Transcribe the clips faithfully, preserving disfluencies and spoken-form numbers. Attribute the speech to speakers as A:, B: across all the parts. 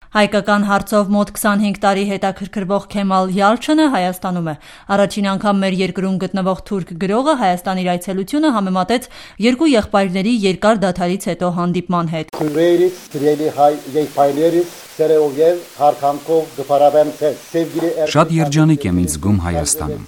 A: Հայկական հարցով մոտ քսանհինգ տարի հետաքրքրվող Քեմալ Յալչյանը Հայաստանում է։ Առաջին անգամ մեր երկրում գտնվող թուրք գրողը Հայաստան իր այցելությունը համեմատեց երկու եղբայրների երկար դադարից հետո հանդիպման հետ։
B: Քույրերից, սիրելի հայ եղբայրներից սերով եւ հարթանքով գփարավեմ ցես։
C: Շատ երջանիկ եմ ինձ զգում Հայաստանում։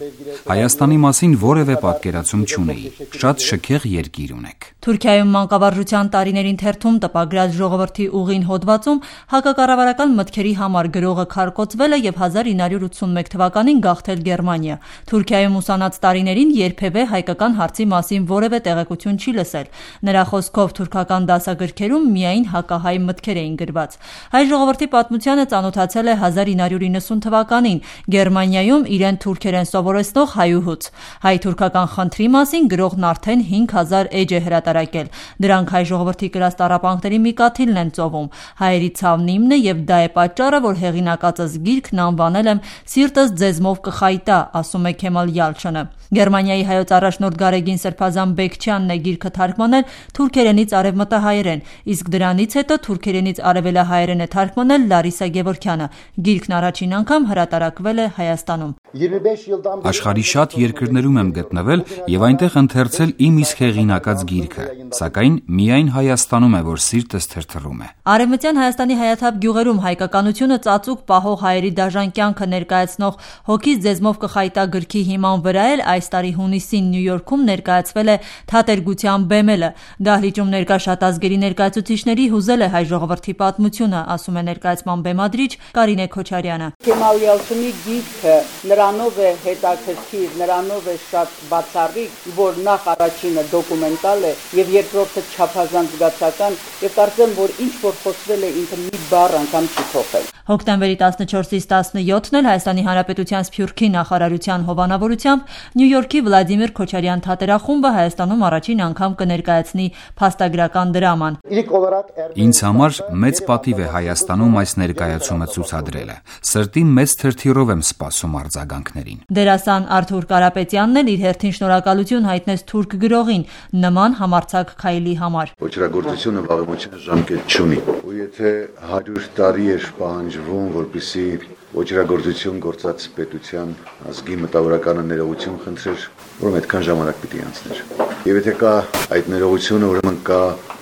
C: Հայաստանի մասին որևէ պատկերացում չունեի։ Շատ շքեղ երկիր ունեք։
A: Թուրքիայում մանկավարժության տարիներին թերթում տպագրած ժողովրդի ուղին հոդվածում հակակառավարական մտքերի համար գրողը քարկոծվել է եւ հազար ինը հարյուր ութսունմեկ թվականին գաղթել Գերմանիա։ Թուրքիայում ուսանած տարիներին երբևէ հայկական հարցի մասին որևէ տեղեկություն չի լսել։ Նրա խոսքով թուրքական դասագրքերում միայն հակահայ մտքեր էին գրված։ Հայ ժողովրդի պատմությանը ծանոթացել է հազար ինը հարյուր իննսուն թվականին Գերմանիայում իրեն թուրքերեն սովորեցնող հայուհուց։ Հայ-թուրքական խնդրի մասին գրողն արդեն հինգ հազար էջ է հրատարակել։ Դրանք հայ ժողովրդի կրած տառապանքների մի կաթիլն են ծովում։ Հայերի ցավն իմն է եւ դա է պատճառը, որ հեղինակածս գիրքն անվանել եմ «Սիրտս ձեզմով կխայտա», ասում է Քեմալ Յալչյանը։ Գերմանիայի հայոց առաջնորդ Գարեգին Սրբազան Բեկչյանն է գիրքը թարգմանել թուրքերենից արևմտահայերեն, իսկ դրանից հետո թուրքերենից արևելահայերեն է թարգմանել Լարիսա Գևորգյանը։ Գիրքն առաջին անգամ հրատարակվել է Հայաստանում։
C: Աշխարհի շատ երկրներում եմ գտնվել եւ այնտեղ ընթերցել իմ իսկ հեղինակած գիրքը, սակայն միայն Հայաստանում է, որ սիրտս թրթռում է։
A: Արևմտյան Հայաստանի հայաթափ գյուղերում հայկականությունը ծածուկ պահող հայերի դաժան կյանքը ներկայացնող «Հոգիս ձեզմով կխայտա» գրքի հիման վրա էլ այս տարի հունիսին Նյու Յորքում ներկայացվել է «Թատերգության բեմելը»։ Դահլիճում ներկա շատ ազգերի ներկայացուցիչների հուզել է հայ ժողովրդի պատմությունը, ասում է ներկայացման բեմադրիչ Կարինե Քոչարյանը։
D: Քեմալ Յալչյանի գիրքը նրանով է հետաքրքիր, նրանով է շատ բացառիկ, որ նախ առաջինը դոկումենտալ է եւ երկրորդը չափազանց զգացական եւ կարծեմ, որ ինչ որ խոսվել է ինքը մի բառ անգամ չի փոխել։
A: Հոկտեմբերի տասնչորսից տասնյոթն էլ Հայաստանի Հանրապետության Սփյուռքի նախարարության հովանավորությամբ Նյու Յորքի Վլադիմիր Քոչարյան թատերախումբը Հայաստանում առաջին անգամ կներկայացնի փաստագրական դրաման։
C: Ինձ համար մեծ պատիվ է Հայաստանում այս ներկայացումը ցուցադրելը։ Սրտի մեծ թրթիռով եմ սպասում արձագանքներին։
A: Դերասան Արթուր Կարապետյանն էլ իր հերթին շնորհակալություն հայտնեց թուրք գրողին նման համարձակ քայլի համար։
E: Ոչրագործությունը վաղեմության ժամկետ չունի։ Ու եթե հարյուր տարի էր պահանջվում, որպեսզի ոչրագործություն գործած պետության ազգի մտավորականը ներողություն խնդրեր, ուրեմն այդքան ժամանակ պիտի անցներ։ Եվ եթե կա այդ ներողությունը, ուրեմն կա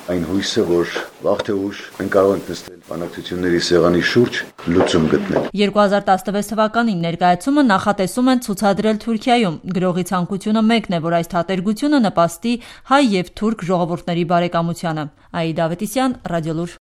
E: այն հույսը, որ վաղ թե ուշ մենք կարող ենք նստել բանակցությունների սեղանի շուրջ լուծում գտնել։
A: երկու հազար տասնվեց թվականին ներկայացումը նախատեսում են ցուցադրել Թուրքիայում։ Գրողի ցանկությունը մեկն է, որ այս թատերգությունը նպաստի հայ եւ թուրք ժողովուրդների բարեկամությանը։ Աիդա Ավետիսյան, Ռադիոլուր։